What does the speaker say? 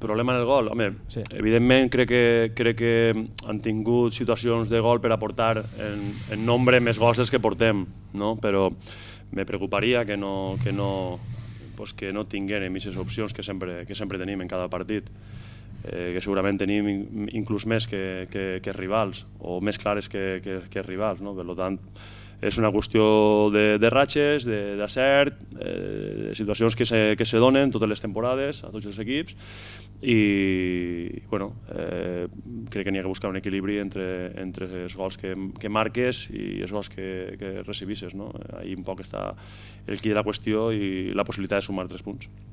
Problema en el gol? Home, Sí. evidentment crec que han tingut situacions de gol per aportar en nombre més gols dels que portem, no? Però me preocuparia que no tinguem aquestes opcions que sempre tenim en cada partit, que segurament tenim inclús més que rivals, o més clares que rivals, no? Per tant, és una qüestió de ratxes, d'acert, de situacions que se donen totes les temporades a tots els equips i crec que n'hi ha que buscar un equilibri entre els gols que marques i els gols que recibisses, no? Ahí un poc està el quid de la qüestió i la possibilitat de sumar 3 punts.